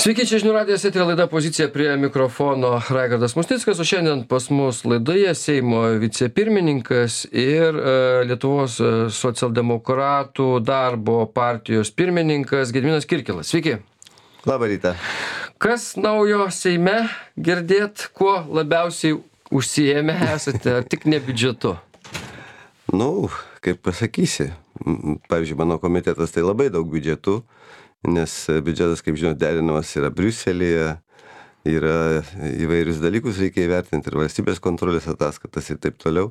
Sveiki, čia žinių radijas, eterio laida Pozicija, prie mikrofono Raigardas Musnickas, o šiandien pas mus laidoje Seimo vicepirmininkas ir Lietuvos socialdemokratų darbo partijos pirmininkas Gediminas Kirkilas. Sveiki. Labą rytą. Kas naujo Seime girdėt, kuo labiausiai užsiėmę esate, ar tik ne biudžetu? Kaip pasakysi. Pavyzdžiui, mano komitetas tai labai daug biudžetų. Nes biudžetas, kaip žinot, derinamas yra Briuselyje, yra įvairius dalykus reikia įvertinti ir valstybės kontrolės ataskaitas ir taip toliau.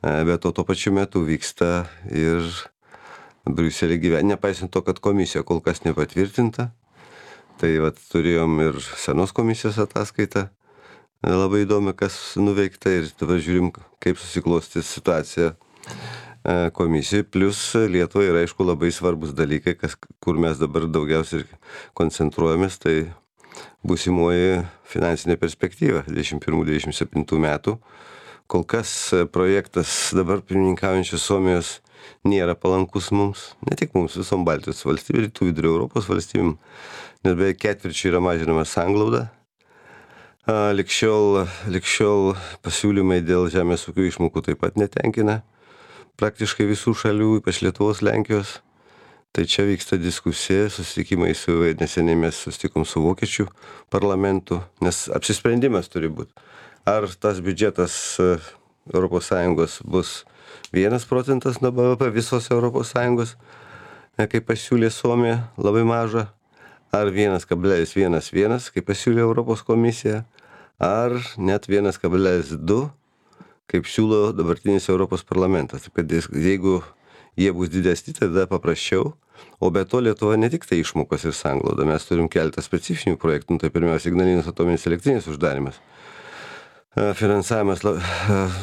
Bet tuo pačiu metu vyksta ir Briuselį nepaisant to, kad komisija kol kas nepatvirtinta. Tai turėjom ir senos komisijos ataskaitą. Labai įdomi, kas nuveikta ir dabar žiūrim, kaip susiklostys situacija komisijai, plus Lietuvai yra, aišku, labai svarbus dalykai, kur mes dabar daugiausiai koncentruojamės, tai būsimoji finansinė perspektyva 21-27 metų. Kol kas projektas dabar pirmininkaujančios Suomijos nėra palankus mums, ne tik mums, visom Baltijos valstybėm, rytų vidurio Europos valstybėm, nes beveik ketvirčiu yra mažinama sanglauda. Lig šiol pasiūlymai dėl žemės ūkio išmokų taip pat netenkina praktiškai visų šalių, ypač Lietuvos, Lenkijos. Tai čia vyksta diskusija, susitikimai neseniai mes susitikom su Vokiečių parlamentu, nes apsisprendimas turi būti. Ar tas biudžetas ES bus 1% nuo BVP visos ES, kaip pasiūlė Suomija, labai maža, ar 1,11, kaip pasiūlė Europos komisija, ar net 1,2, kaip siūlo dabartinis Europos parlamentas. Taip kad jeigu jie bus didesni, tada paprasčiau. O be to Lietuva ne tik tai išmokos ir sanglauda. Mes turim keletą specifinių projektų. Tai pirmiausia, Ignalinos atominės elektrinės uždarimas. Finansavimas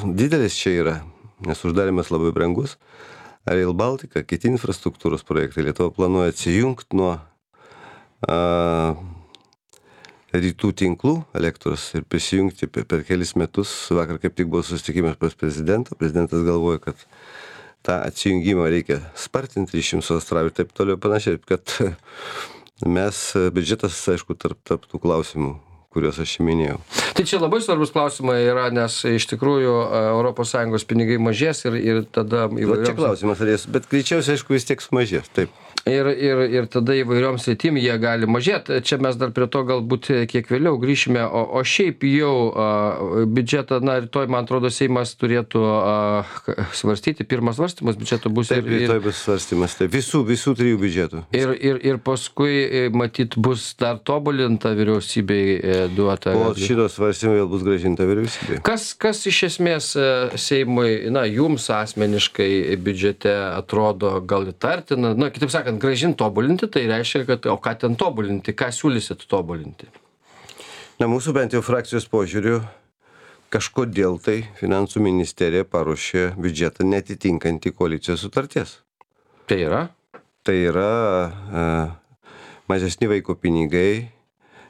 didelis čia yra, nes uždarimas labai brangus. Rail Baltica, kiti infrastruktūros projektai. Lietuva planuoja atsijungti nuo rytų tinklų elektros ir prisijungti per kelis metus. Vakar kaip tik buvo susitikimas pas prezidentą. Prezidentas galvoja, kad tą atsijungimą reikia spartinti iš jums Australiją ir taip toliau panašiai, kad mes biudžetas, aišku, tarp tų klausimų, kuriuos aš minėjau. Tai čia labai svarbus klausimai yra, nes iš tikrųjų ES pinigai mažės ir tada įvairioms... Čia klausimas, bet greičiausiai, aišku, vis tiek sumažės, taip. Ir tada įvairioms sritim jie gali mažėti. Čia mes dar prie to galbūt kiek vėliau grįšime, o šiaip jau biudžetą, rytoj, man atrodo, Seimas turėtų svarstyti, pirmas svarstymas biudžeto bus. Taip, rytoj bus svarstymas, taip, visų trijų biudžetų. Ir paskui, matyt, bus dar tobulinta vyriausybei duota. Po šito svarstymo vėl bus grąžinta vyriausybė. Kas iš esmės Seimui, jums asmeniškai biudžete atrodo gal įtartina, kitaip sakant, grąžinti tobulinti, tai reiškia, kad o ką ten tobulinti, ką siūlysit tobulinti? Mūsų bent jau frakcijos požiūriu, kažkodėl tai Finansų ministerija paruošė biudžetą netitinkantį koalicijos sutarties. Tai yra? Tai yra mažesni vaiko pinigai,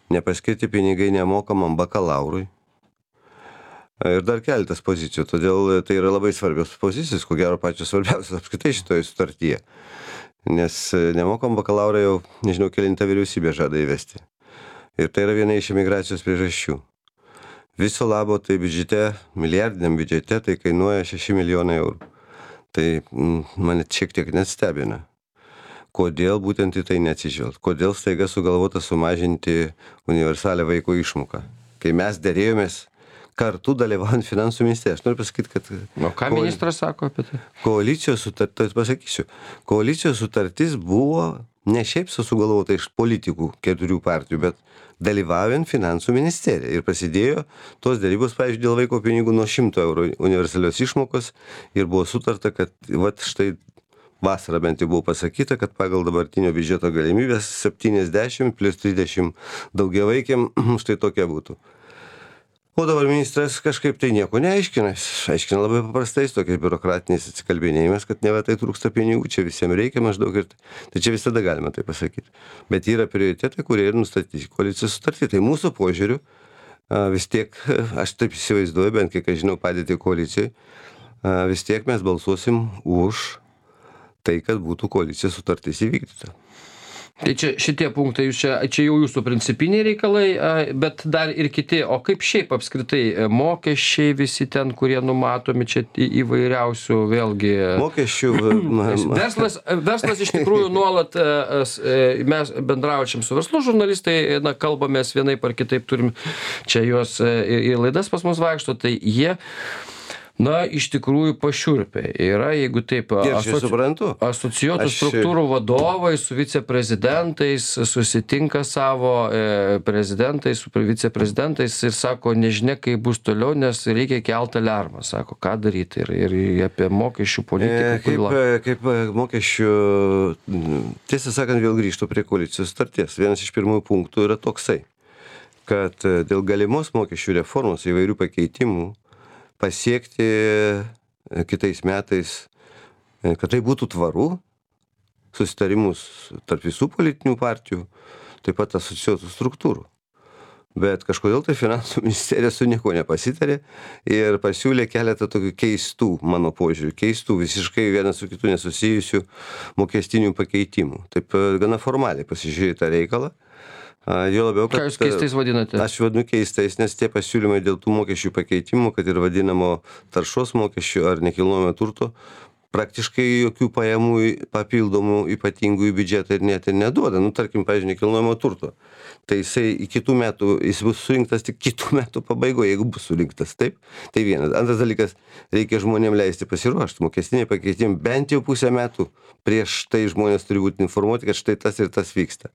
nepaskirti pinigai nemokamam bakalaurui. Ir dar keletas pozicijų, todėl tai yra labai svarbios pozicijos, ko gero pačios svarbiausios apskritai šitoje sutartyje. Nes nemokam bakalaurą jau, nežinau, kelintą vyriausybė žada įvesti. Ir tai yra viena iš emigracijos priežasčių. Viso labo tai biudžete, milijardiniam biudžete, tai kainuoja 6 milijonai eurų. Tai mane šiek tiek net stebina. Kodėl būtent į tai neatsižvelgt? Kodėl staiga sugalvota sumažinti universalią vaiko išmoką? Kai mes derėjomės kartu dalyvaujant Finansų ministerijos. Noriu pasakyti, kad... O ką ministras sako apie tai? Koalicijos sutartis buvo ne šiaip sugalvota iš politikų 4 partijų, bet dalyvaujant Finansų ministeriją. Ir prasidėjo tos dėrybos, pavyzdžiui, dėl vaiko pinigų nuo 100 eurų universalios išmokos ir buvo sutarta, kad štai vasarą bent jau buvo pasakyta, kad pagal dabartinio biudžeto galimybės 70 plus 30 daugiavaikiam štai tokia būtų. O dabar ministras kažkaip tai nieko neaiškina. Aiškina labai paprastais tokiais biurokratiniais atsikalbinėjimas, kad neva tai trūksta pinigų, čia visiems reikia maždaug ir tai čia visada galima tai pasakyti. Bet yra prioritetai, kurie ir nustatyti koalicijos sutartį. Tai mūsų požiūriu vis tiek, aš taip įsivaizduoju, bent kiek aš žinau padėti koalicijai, vis tiek mes balsuosim už tai, kad būtų koalicijos sutartis įvykdyta. Tai čia šitie punktai, čia jau jūsų principiniai reikalai, bet dar ir kiti, o kaip šiaip apskritai mokesčiai visi ten, kurie numatomi čia įvairiausių vėlgi. Mokesčių. Verslas iš tikrųjų nuolat, mes bendraučiam su verslu žurnalistai, kalbamės vienaip ar kitaip, turim čia juos į laidas pas mus vaikšto, tai jie iš tikrųjų pašiurpia. Yra, jeigu taip, asocijuotų struktūrų vadovai su viceprezidentais susitinka savo prezidentais, su viceprezidentais ir sako, nežinia, kaip bus toliau, nes reikia kelt aliarmą. Sako, ką daryti ir apie mokesčių politiką. Kaip mokesčių, tiesą sakant, vėl grįžtų prie koalicijos sutarties. Vienas iš pirmųjų punktų yra toksai, kad dėl galimos mokesčių reformos įvairių pakeitimų pasiekti kitais metais, kad tai būtų tvaru, susitarimus tarp visų politinių partijų, taip pat asocijuotų struktūrų. Bet kažkodėl tai finansų ministerija su nieko nepasitarė ir pasiūlė keletą tokių keistų, mano požiūrių, keistų, visiškai vienas su kitu nesusijusių mokestinių pakeitimų. Taip gana formaliai pasižiūrėjo tą reikalą. Jo labiau, kad, ką jūs keistais vadinate? Aš vadinu keistais, nes tie pasiūlymai dėl tų mokesčių pakeitimų, kad ir vadinamo taršos mokesčių ar nekilnojamo turto, praktiškai jokių pajamų papildomų ypatingų į biudžetą ir net ir neduoda. Tarkim, pavyzdžiui, nekilnojamo turto. Tai jisai į kitų metų, jis bus surinktas tik kitų metų pabaigoje, jeigu bus surinktas, taip? Tai vienas. Antras dalykas, reikia žmonėms leisti pasiruošti. Mokestiniai pakeitimai bent jau pusę metų prieš tai žmonės turi būti informuoti, kad štai tas ir tas vyksta.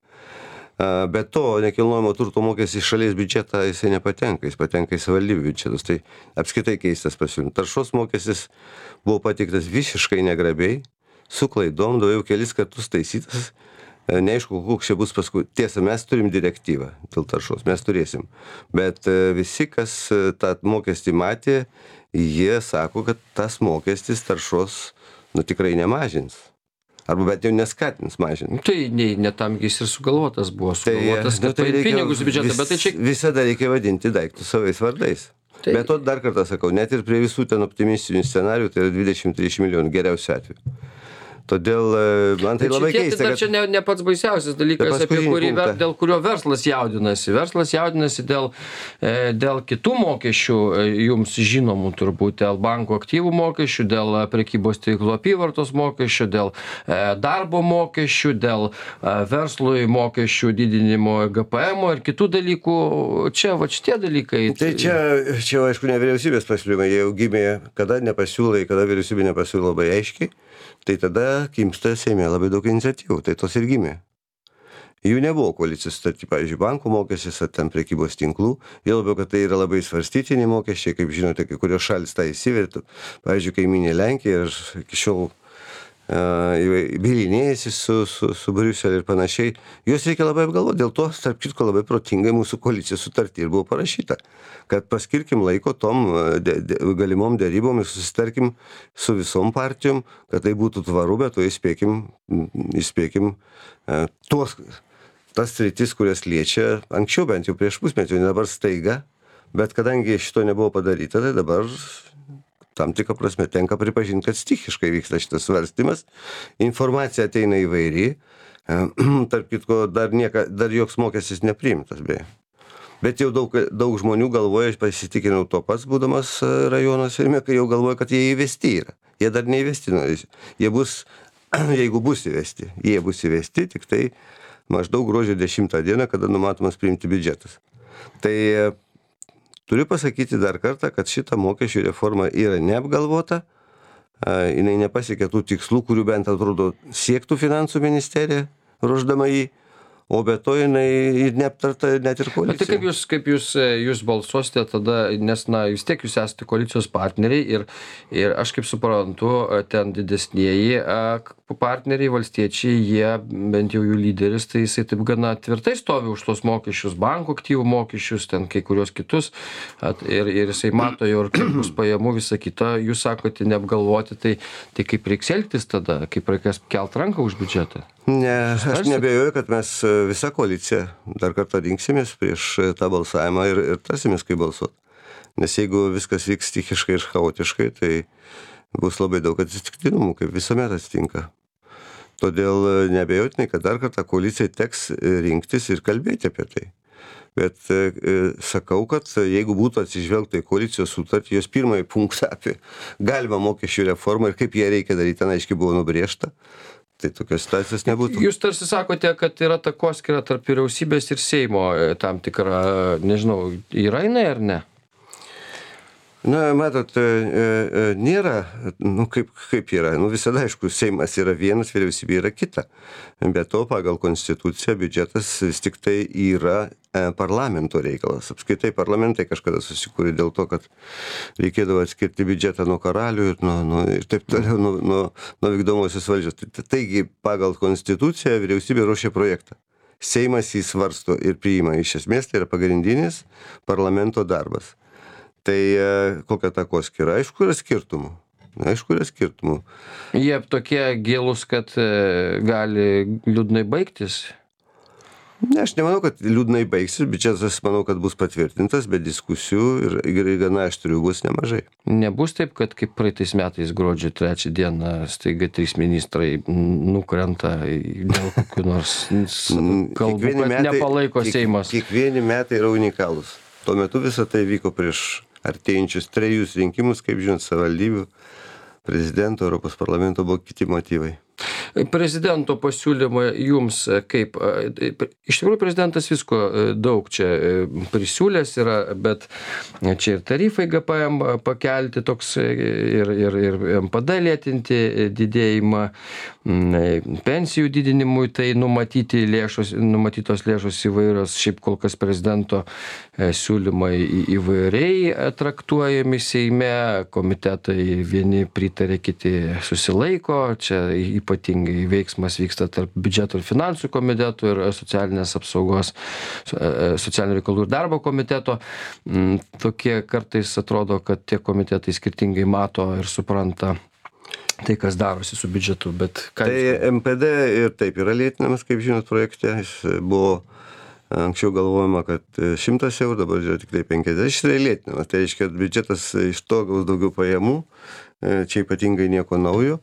Bet to nekilnojamo turto mokestis į šalies biudžetą jisai nepatenka, jis patenka į savivaldybių biudžetus, tai apskritai keistas pasiūlymas. Taršos mokestis buvo pateiktas visiškai negrabiai, su klaidom, daugiau kelis kartus taisytas, neaišku, koks čia bus paskui. Tiesa, mes turim direktyvą dėl taršos, mes turėsim, bet visi, kas tą mokestį matė, jie sako, kad tas mokestis taršos tikrai nemažins. Arba bent jau neskatins mažinti. Tai ne tam jis ir sugalvotas buvo. Sugalvotas, kad paimti pinigus į biudžetą, bet tai čia... Visada reikia vadinti daiktus savais vardais. Tai... Bet to dar kartą sakau, net ir prie visų ten optimistinių scenarijų, tai yra 20-30 milijonų geriausiu atveju. Todėl man tai labai keista, kad... Čia ne pats baisiausias dalykas, dėl kurio verslas jaudinasi. Verslas jaudinasi dėl kitų mokesčių, jums žinomų turbūt, dėl bankų aktyvų mokesčių, dėl prekybos tinklų apyvartos mokesčių, dėl darbo mokesčių, dėl verslui mokesčių didinimo GPM ir kitų dalykų. Čia šitie dalykai. Tai čia aišku, ne vyriausybės pasiūlymai, jie jau gimė, kada nepasiūlai, kada vyriausybė nepasiūlė labai aiškiai. Tai tada kimsta Seime labai daug iniciatyvų, tai tos ir gimė. Jų nebuvo koalicijos sutarty, pavyzdžiui, bankų mokestis ar ten prekybos tinklų, jau labiau, kad tai yra labai svarstytini mokesčiai, kaip žinote, kai kurios šalis tą įsivertų, pavyzdžiui, kaimynė Lenkija ir iki šiol bylinėjasi su Briuseliu ir panašiai, juos reikia labai apgalvoti, dėl to, tarp kitko, labai protingai mūsų koalicijos sutarty ir buvo parašyta, kad paskirkim laiko tom galimom derybom ir susitarkim su visom partijom, kad tai būtų tvaru, bet to įspėkim tas sritis, kurias liečia anksčiau, bent jau prieš pusmetį, dabar staiga, bet kadangi šito nebuvo padaryta, tai dabar tam tikrą prasme tenka pripažinti, kad stichiškai vyksta šitas svarstymas. Informacija ateina įvairi. Tarp kitko, dar joks mokestis nepriimtas, beje. Bet jau daug žmonių galvoja, aš pasitikinau to pats, būdamas rajono Seime, kai jau galvoja, kad jie įvesti yra. Jie dar neįvesti. Jie bus, jeigu bus įvesti, tik tai maždaug gruodžio 10 dieną, kada numatomas priimti biudžetas. Tai turiu pasakyti dar kartą, kad šita mokesčių reforma yra neapgalvota, jinai nepasiekė tų tikslų, kurių bent atrodo siektų finansų ministerija, ruošdama jį, o be to jinai neaptarta net ir koalicija. Tai kaip jūs balsuosite tada, nes vis tiek jūs esate koalicijos partneriai ir aš kaip suprantu, ten didesnieji partneriai, valstiečiai, jie, bent jau jų lyderis, tai jisai taip gana tvirtai stovi už tos mokesčius, bankų aktyvų mokesčius, ten kai kurios kitus, ir jisai mato jau ir kaip bus pajamų, visą kitą, jūs sakote neapgalvoti, tai kaip reiks elgtis tada, kaip reikės kelt ranką už biudžetą? Ne, aš neabejoju, kad mes visa koalicija dar kartą rinksimės prieš tą balsavimą ir tarsimės, kaip balsuoti. Nes jeigu viskas vyks stichiškai ir chaotiškai, tai bus labai daug atsitiktinumų, kaip visuomet atsitinka. Todėl neabejotinai, kad dar kartą koalicijai teks rinktis ir kalbėti apie tai. Bet sakau, kad jeigu būtų atsižvelgta į koalicijos sutartį, jos pirmąjį punktą apie galimą mokesčių reformą ir kaip ją reikia daryti, ten aiškiai buvo nubrėžta, tai tokios situacijos nebūtų. Jūs tarsi sakote, kad yra takoskyra tarp vyriausybės ir Seimo tam tikra, nežinau, yra jinai ar ne? Na, matot, nėra, kaip yra, visada, aišku, Seimas yra vienas, vyriausybė yra kita. Be to, pagal konstituciją, biudžetas vis tik tai yra parlamento reikalas. Apskaitai, parlamentai kažkada susikūrė dėl to, kad reikėdavo atskirti biudžetą nuo karalių ir taip toliau, nuo vykdomosios valdžios. Taigi, pagal konstituciją vyriausybė ruošia projektą. Seimas jį svarsto ir priima. Iš esmės, tai yra pagrindinis parlamento darbas. Tai kokia takoskyra? Aišku, yra skirtumų. Jie tokie gilūs, kad gali liūdnai baigtis? Ne, aš nemanau, kad liūdnai baigsis, biudžetas, manau, kad bus patvirtintas, bet diskusijų ir gana aštrių bus nemažai. Nebus taip, kad kaip praeitais metais gruodžio 3 dieną staiga 3 ministrai nukrenta dėl kokių nors kalbų, kad nepalaiko Seimas. Kiekvieni metai yra unikalūs. Tuo metu visą tai vyko prieš artėjančius 3 rinkimus, kaip žinot, savivaldybių, prezidento, Europos parlamento buvo kiti motyvai. Prezidento pasiūlymai jums kaip, iš tikrųjų prezidentas visko daug čia prisiūlęs yra, bet čia ir tarifai GPM pakelti toks ir MPD lėtinti didėjimą, pensijų didinimui, tai numatytos lėšos įvairios, šiaip kol kas prezidento siūlymai įvairiai traktuojami Seime, komitetai vieni pritarė, kiti susilaiko, čia ypatingai veiksmas vyksta tarp biudžeto ir finansų komitetų ir socialinės apsaugos, socialinių reikalų ir darbo komiteto. Tokie kartais atrodo, kad tie komitetai skirtingai mato ir supranta tai, kas darosi su biudžetu, bet ką... Tai MPD ir taip yra lėtinamas, kaip žinot, projekte. Jis buvo anksčiau galvojama, kad 100 eurų, dabar yra tik tai 50. Jis yra lėtinamas. Tai reiškia, kad biudžetas iš to gaus daugiau pajamų. Čia ypatingai nieko naujo.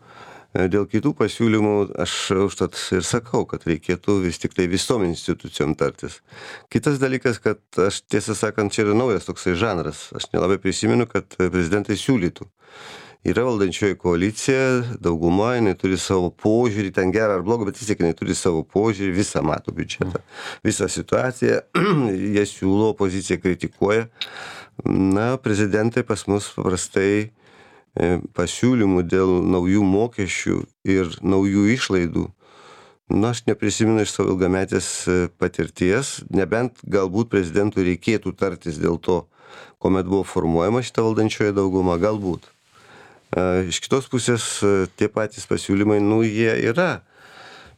Dėl kitų pasiūlymų aš užtat ir sakau, kad reikėtų vis tik tai visom institucijom tartis. Kitas dalykas, kad aš tiesą sakant, čia yra naujas toksai žanras. Aš nelabai prisimenu, kad prezidentai siūlytų. Yra valdančioji koalicija, dauguma, jinai turi savo požiūrį, ten gerą ar blogą, bet vis tiek jinai turi savo požiūrį, visą mato biudžetą, visą situaciją, jie siūlo, opozicija kritikuoja. Na, prezidentai pas mus paprastai pasiūlymų dėl naujų mokesčių ir naujų išlaidų. Na, aš neprisimenu iš savo ilgametės patirties, nebent galbūt prezidentui reikėtų tartis dėl to, kuomet buvo formuojama šita valdančioji dauguma, galbūt. Iš kitos pusės tie patys pasiūlymai, jie yra,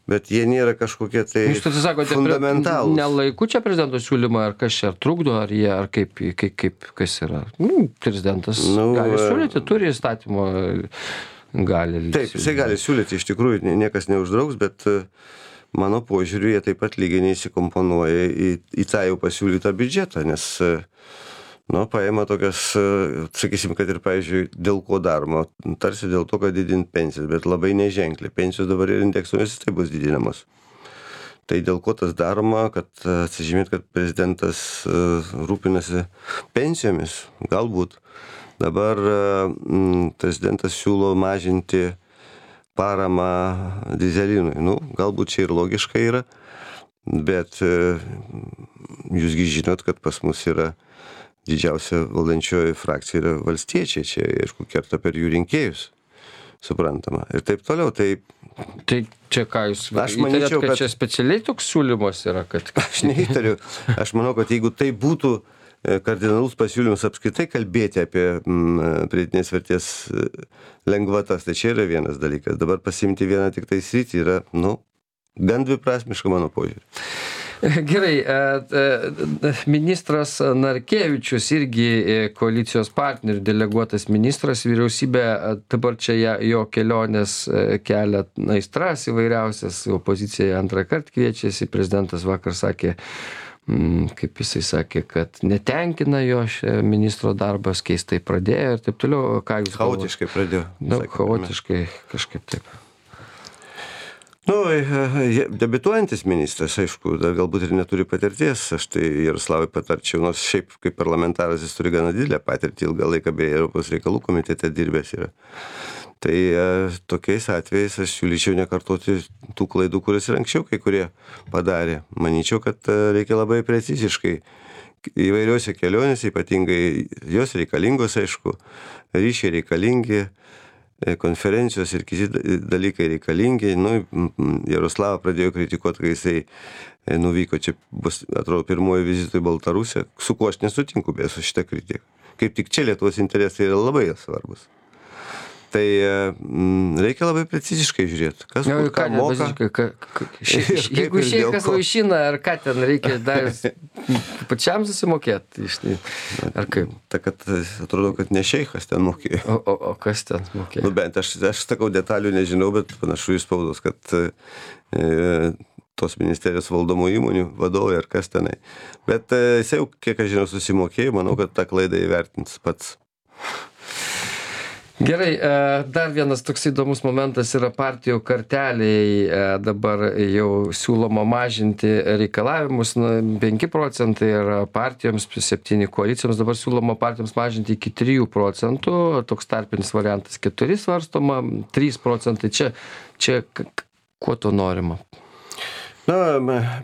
bet jie nėra kažkokie tai fundamentalūs. Nelaiku čia prezidento siūlymą, ar kas čia, ar trukdo, ar jie, ar kaip kas yra. Prezidentas gali siūlyti, turi įstatymo, gali. Taip, jisai gali siūlyti, iš tikrųjų niekas neuždraugs, bet mano požiūriu, jie taip pat lygiai neįsikomponuoja į tą jau pasiūlytą biudžetą, nes paima tokias, sakysim, kad ir, pavyzdžiui, dėl ko daroma, tarsi dėl to, kad didinti pensijas, bet labai neženkliai. Pensijos dabar ir indeksuomis tai bus didinamos. Tai dėl ko tas daroma, kad atsižymėt, kad prezidentas rūpinasi pensijomis, galbūt. Dabar prezidentas siūlo mažinti paramą dyzelinui. Galbūt čia ir logiška yra, bet jūsgi žinot, kad pas mus yra didžiausia valdančioji frakcija yra valstiečiai, čia, aišku, kerta per jų rinkėjus, suprantama. Ir taip toliau, tai čia ką jūs įtarėt, kad čia specialiai toks siūlymas yra, kad... Aš neįtariu. Aš manau, kad jeigu tai būtų kardinalus pasiūlymas apskritai kalbėti apie pridėtinės vertės lengvatas, tai čia yra vienas dalykas. Dabar pasiimti vieną tik tai sritį yra, gan dviprasmiška mano požiūrį. Gerai, ministras Narkevičius irgi koalicijos partnerių deleguotas ministras, vyriausybė dabar čia jo kelionės kelia aistras įvairiausias, opozicija antrą kartą kviečiasi, prezidentas vakar sakė, kaip jisai sakė, kad netenkina jo ministro darbas, keistai pradėjo ir taip toliau. Ką jūs galvojate? Chaotiškai pradėjo. Chaotiškai kažkaip taip. Debiutuojantis ministras, aišku, dar galbūt ir neturi patirties, aš tai Jaroslavui patarčiau, nors šiaip kaip parlamentaras jis turi gana didelę patirtį, ilgą laiką beje Europos reikalų komitete dirbęs yra. Tai tokiais atvejais aš siūlyčiau nekartoti tų klaidų, kurias ir anksčiau kai kurie padarė. Manyčiau, kad reikia labai preciziškai įvairiuose kelionėse, ypatingai jos reikalingos, aišku, ryšiai reikalingi, konferencijos ir kiti dalykai reikalingi. Jaroslavą pradėjo kritikuoti, kai jisai nuvyko, čia bus, atrodo, pirmoji vizito į Baltarusiją, su kuo aš nesutinku beje su šitą kritiką. Kaip tik čia Lietuvos interesai yra labai svarbus. Tai reikia labai preciziškai žiūrėti, kas ką moka. Jeigu šeikas vaišina, ar ką ten reikia dar pačiam susimokėti, ar kaip? Ta, kad atrodo, kad ne šeikas ten mokėjo. O kas ten mokėjo? Bent aš sakau, detalių nežinau, bet panašu į spaudos, kad tos ministerijos valdomų įmonių vadovai ar kas tenai. Bet jis jau, kiek aš žinau, susimokėjo, manau, kad tą klaidą įvertins pats. Gerai, dar vienas toks įdomus momentas yra partijų karteliai. Dabar jau siūloma mažinti reikalavimus, 5 procentai yra partijoms, 7 koalicijoms, dabar siūloma partijoms mažinti iki 3 procentų, toks tarpinis variantas 4 svarstoma, 3 procentai. Čia kuo to norima?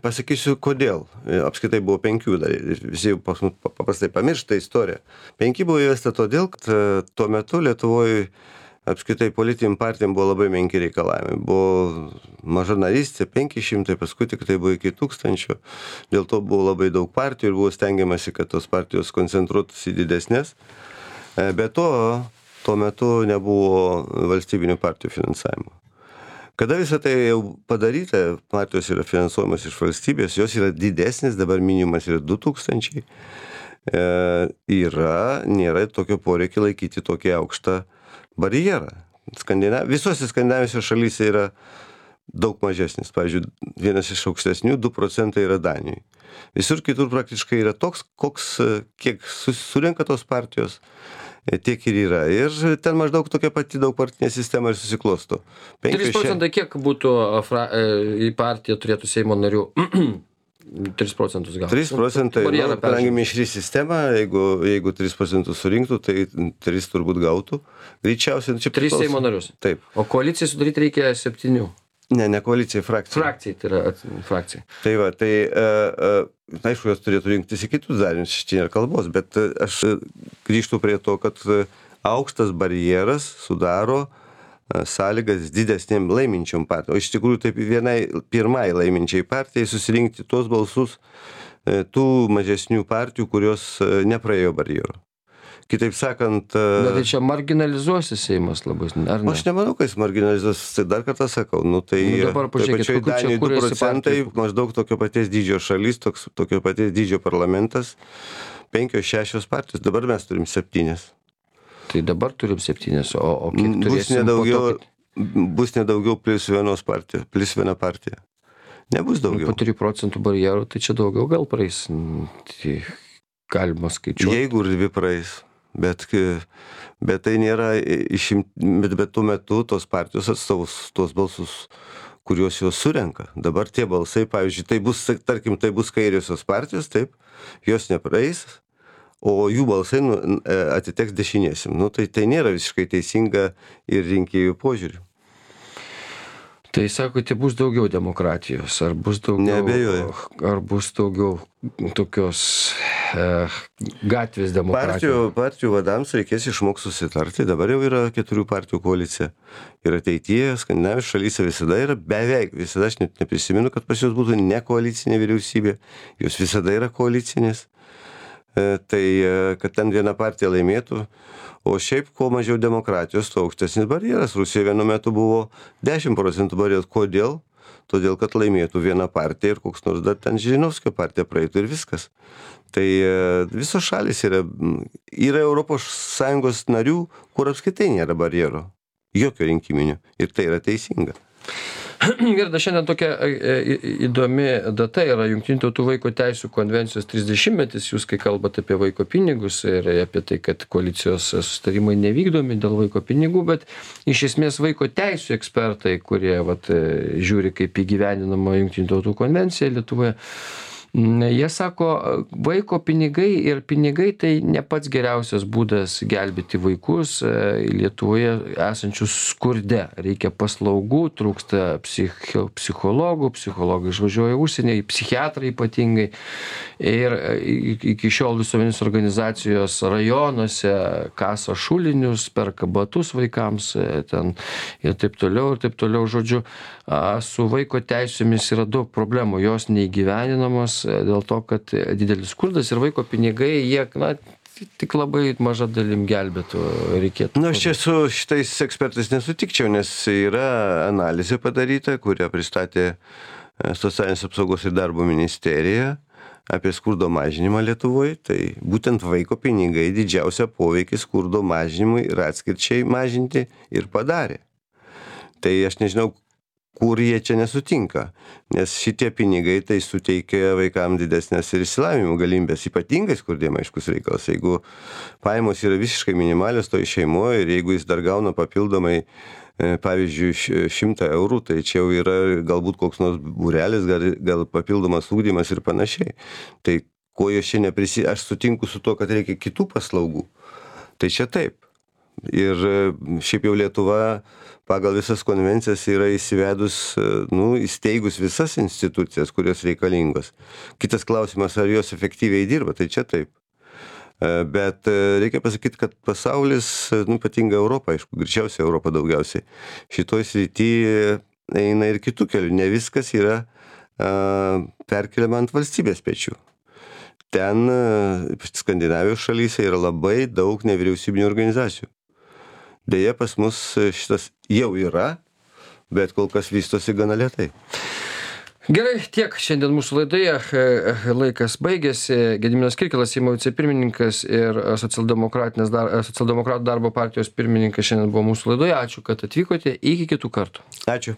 Pasakysiu, kodėl. Apskritai buvo 5 dar. Visi paprastai pamiršta istoriją. 5 buvo įvesta todėl, kad tuo metu Lietuvoje apskritai politiniam partijom buvo labai menki reikalavimai. Buvo maža narystė, 500, paskui tik tai buvo iki 1000. Dėl to buvo labai daug partijų ir buvo stengiamasi, kad tos partijos koncentruotųsi į didesnės. Be to, tuo metu nebuvo valstybinių partijų finansavimo. Kada visą tai jau padaryta, partijos yra finansuojamas iš valstybės, jos yra didesnis, dabar minimumas yra 2000, nėra tokio poreikio laikyti tokį aukštą barjerą. Visose skandinavijose šalyse yra daug mažesnis. Pavyzdžiui, vienas iš aukštesnių 2 procentai yra Danijoje. Visur kitur praktiškai yra toks, kiek surenka tos partijos, tiek ir yra. Ir ten maždaug tokia pati daugpartinė sistema ir susiklosto. 3 procentai kiek būtų į partiją turėtų Seimo narių? 3 procentus gal. 3 procentai, kadangi mišri sistema, jeigu 3 procentus surinktų, tai 3 turbūt gautų. Greičiausiai, čia 3 Seimo narius. Taip. O koalicijai sudaryti reikia 7. Ne koalicijai, frakcijai. Frakcijai, tai yra frakcijai. Tai va, aišku, jos turėtų rinktis į kitus darinius, čia nėra kalbos, bet aš grįžtu prie to, kad aukštas barjeras sudaro sąlygas didesnėm laiminčiom partijom. O iš tikrųjų, taip pirmai laiminčiai partijai susirinkti tuos balsus tų mažesnių partijų, kurios nepraėjo barjero. Kitaip sakant... Bet tai čia marginalizuosi Seimas labai, ar ne? Aš nemanau, kad jis marginalizuosi, tai dar kartą sakau. Dabar pažiūrėkit, Danijai 2 procentai, maždaug tokio paties dydžio šalis, tokio paties dydžio parlamentas, 5-6 partijos, dabar mes turim 7. Tai dabar turim 7, o kiek turėsim po to? Bus nedaugiau plus viena partija. Nebus daugiau. Po 3 procentų barjerų, tai čia daugiau gal praeis, tai galima skaičiuoti. Jeigu ir 2 praeis. Bet tai nėra bet tuo metu tos partijos atstovus tuos balsus, kuriuos jos surenka. Dabar tie balsai, pavyzdžiui, tai bus kairiosios partijos, taip, jos nepraeis, o jų balsai atiteks dešinėsim. Tai nėra visiškai teisinga ir rinkėjų požiūrių. Tai sakote, bus daugiau demokratijos, ar bus daugiau... Neabejoju. Ar bus daugiau tokios gatvės demokratijos? Partijų vadams reikės išmokti susitarti, dabar jau yra 4 partijų koalicija. Ir ateityje skandinavijos šalyse visada yra beveik, visada aš net neprisimenu, kad pas jos būtų ne koalicinė vyriausybė, jos visada yra koalicinės. Tai kad ten viena partija laimėtų, o šiaip kuo mažiau demokratijos, tuo aukštesnis barjeras. Rusijoje vienu metu buvo 10 procentų barjeras. Kodėl? Todėl, kad laimėtų viena partija ir koks nors dar ten Žirinovskio partija praeitų ir viskas. Tai visos šalis yra Europos Sąjungos narių, kur apskritai nėra barjero. Jokio rinkiminių. Ir tai yra teisinga. Gerda, šiandien tokia įdomi data yra Jungtinių tautų vaiko teisų konvencijos 30-metis. Jūs, kai kalbate apie vaiko pinigus ir apie tai, kad koalicijos susitarimai nevykdomi dėl vaiko pinigų, bet iš esmės vaiko teisų ekspertai, kurie žiūri, kaip įgyvendinama Jungtinių tautų konvencija Lietuvoje, jie sako, vaiko pinigai ir pinigai tai ne pats geriausias būdas gelbėti vaikus Lietuvoje esančius skurde. Reikia paslaugų, trūksta psichologų, psichologai išvažiuoja užsienį, psichiatrai ypatingai. Ir iki šiol visuomenės organizacijos rajonuose kasa šulinius, perka batus vaikams ten ir taip toliau, žodžiu, su vaiko teisėmis yra daug problemų, jos neįgyvendinamos dėl to, kad didelis skurdas ir vaiko pinigai, jie, tik labai maža dalim gelbėtų reikėtų. Aš čia su šitais ekspertais nesutikčiau, nes yra analizė padaryta, kurią pristatė Socialinės apsaugos ir darbo ministerija apie skurdo mažinimą Lietuvoje. Tai būtent vaiko pinigai didžiausią poveikį skurdo mažinimui ir atskirčiai mažinti ir padarė. Tai aš nežinau, kur jie čia nesutinka, nes šitie pinigai tai suteikia vaikams didesnės ir išsilavinimo galimybės, ypatingai skurdiem aiškus reikalas. Jeigu pajamos yra visiškai minimalios toj šeimoje ir jeigu jis dar gauna papildomai, pavyzdžiui, 100 eurų, tai čia jau yra galbūt koks nors būrelis, gal papildomas ugdymas ir panašiai. Tai ko jos čia aš sutinku su to, kad reikia kitų paslaugų. Tai čia taip. Ir šiaip jau Lietuva pagal visas konvencijas yra įsteigus visas institucijas, kurios reikalingos. Kitas klausimas, ar jos efektyviai dirba, tai čia taip. Bet reikia pasakyti, kad pasaulis, ypatingai Europa, aišku, greičiausiai Europa daugiausiai, šitoj srityje eina ir kitų kelių. Ne viskas yra perkeliama ant valstybės pečių. Ten, Skandinavijos šalyse, yra labai daug nevyriausybinių organizacijų. Deja, pas mus šitas jau yra, bet kol kas vystosi gana lėtai. Gerai, tiek šiandien mūsų laidoje. Laikas baigėsi. Gediminas Kirkilas, Seimo vicepirmininkas ir Socialdemokratų darbo partijos pirmininkas šiandien buvo mūsų laidoje. Ačiū, kad atvykote. Iki kitų kartų. Ačiū.